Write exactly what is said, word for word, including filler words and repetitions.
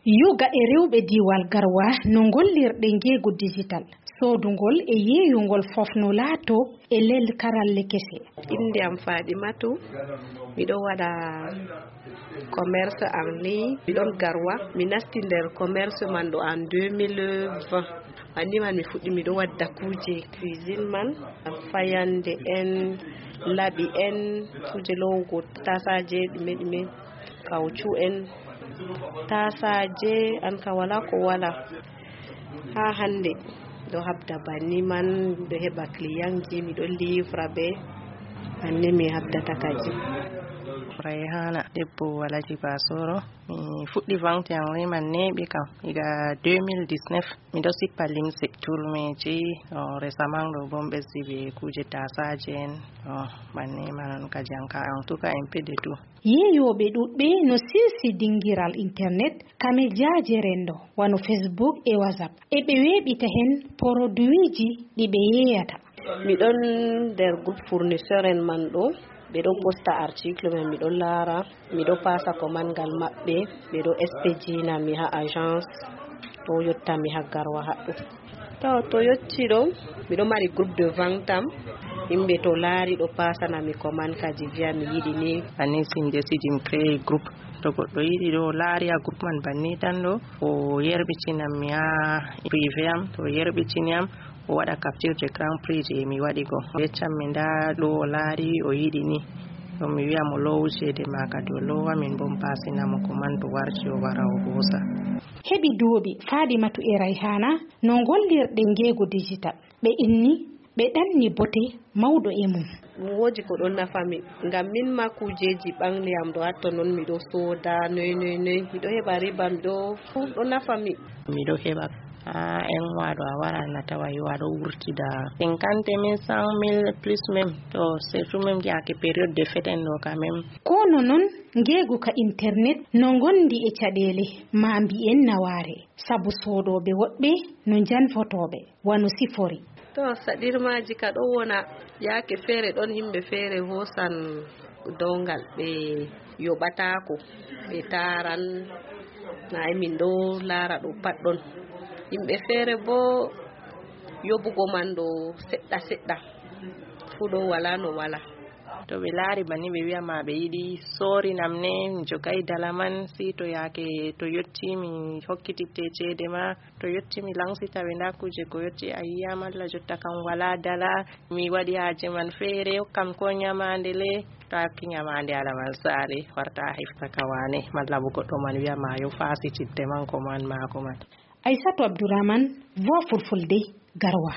Yoga e rewɓe diiwal Garwa no ngollirɗe ngeegu digital, soodungol e yeeyungol fof no laatoo e leel karalle kese. Innde am Faaɗimatu, miɗo waɗa commerce en ligne, miɗon Garwa. Mi nasti nder commerce man ɗo en deux mille vingt. Anndi man mi fuɗɗi miɗo wadda kuuje cuisine man, fayannde en, laɓi en, kuuje loowugo taasaaje ɗume ɗume, kawcu en, taasaaje, an ka walaa ko walaa. Haa hannde miɗo habda banni man, miɗo heɓa clientji, miɗo livra ɓe, banni mi habdata kadi. Rayhana, debbo Alhaji Basoro. Mi fuɗɗi vente en ligne man neeɓi kam, iga deux mille dix-neuf. Miɗo sippa limse, turmeeji, o, récemment ɗo bo mi ɓesdi ɓe kuuje taasaaje en, o, banni man on kadi an ka, en tout cas, un peu de tout. Yeeyooɓe ɗuuɗɓe no silsi dingiral internet, kamejaaje renndo, wano Facebook e WhatsApp. E ɓe weeɓita heen poroduwiiji ɗi ɓe yeeyata. Miɗon nder groupe fournisseur en man ɗo, ɓe ɗon posta article men, miɗon laara, miɗo paasa commande ngal maɓɓe, ɓe ɗo expedina mi ha agence, ɗo yotta mi ha Garwa haɗɗo. To, to yotti ɗo, miɗo mari groupe de vente am, yimɓe to laari ɗo paasana mi commande kaji viya mi yiɗi ni. Banni si mi desidi mi créé groupe, to goɗɗo yiɗi ɗo laari ha groupe man banni tan ɗo, o yerɓitinam mi ha privé am, to o yerɓitini am, o waɗa capture d'écran prix je mi waɗi go. O yeccam mi nda ɗo o laari o yiɗi ni. Ɗum mi wiya mo loowu ceede ma kadi o loowa, min bo mi paasina mo commande to warti o wara o hoosa. Heɓi duuɓi Fadimatu e Rayhana no ngollirɗe ngeegu digital. Ɓe inni, ɓe ɗanni bote mawɗo e mum. Ɗum woodi ko ɗon nafa mi, ngam min ma kuujeeji ɓangli am ɗo hatto non miɗo sooda noy noy noy, miɗo heɓa riba, miɗo, ɗum ɗo nafa mi. Miɗo heɓa, haa en waɗo a wara na tawa yo aɗo wurtida cinquante mille, cent mille plus même, to surtout même yaake période de fête en ɗo quand même. Kono non ngeegu ka internet no ngondi e caɗeele, ma mbiyen nawaare, sabu soodooɓe woɗɓe no njanfotooɓe, wano sifori. To saɗirmaaji ka ɗo wona, yaake feere ɗon yimɓe feere hoosan downgal, ɓe yoɓataako, ɓe taaran, na min ɗo laara ɗo pat ɗon. Yimɓe feere bo yoɓugo man ɗo seɗɗa seɗɗa, fuu ɗo wala no wala. To ɓe laari banni ɓe wi'a ma ɓe yiɗi soorinam ne, mi jogay dala man, si to yaake to yotti mi hokkititte ceede ma, to yotti mi lansita ɓe nda kuuje ko yotti a yi'aam Allah jotta kam wala dala, mi waɗi haaje man feere, hokkam ko nyamaande le, to a hokki nyamaande ala man saare, warta a hefta ka waane, malla bo goɗɗo man wi'a ma yo faasitidde man ko man maako man. Aysatu Abdurahman, Voix Fulfulde, Garwa.